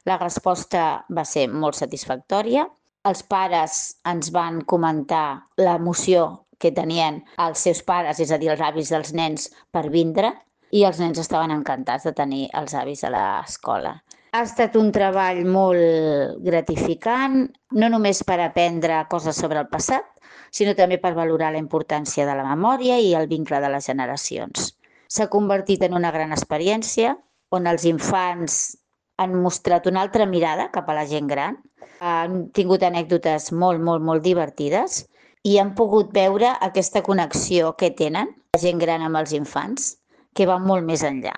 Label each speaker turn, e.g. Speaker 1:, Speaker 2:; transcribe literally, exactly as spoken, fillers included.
Speaker 1: La resposta va ser molt satisfactòria. Els pares ens van comentar l'emoció que tenien els seus pares, és a dir, els avis dels nens, per vindre, i els nens estaven encantats de tenir els avis a l'escola. Ha estat un treball molt gratificant, no només per aprendre coses sobre el passat, sinó també per valorar la importància de la memòria i el vincle de les generacions. S'ha convertit en una gran experiència on els infants han mostrat una altra mirada cap a la gent gran, han tingut anècdotes molt, molt, molt divertides i han pogut veure aquesta connexió que tenen la gent gran amb els infants, que va molt més enllà.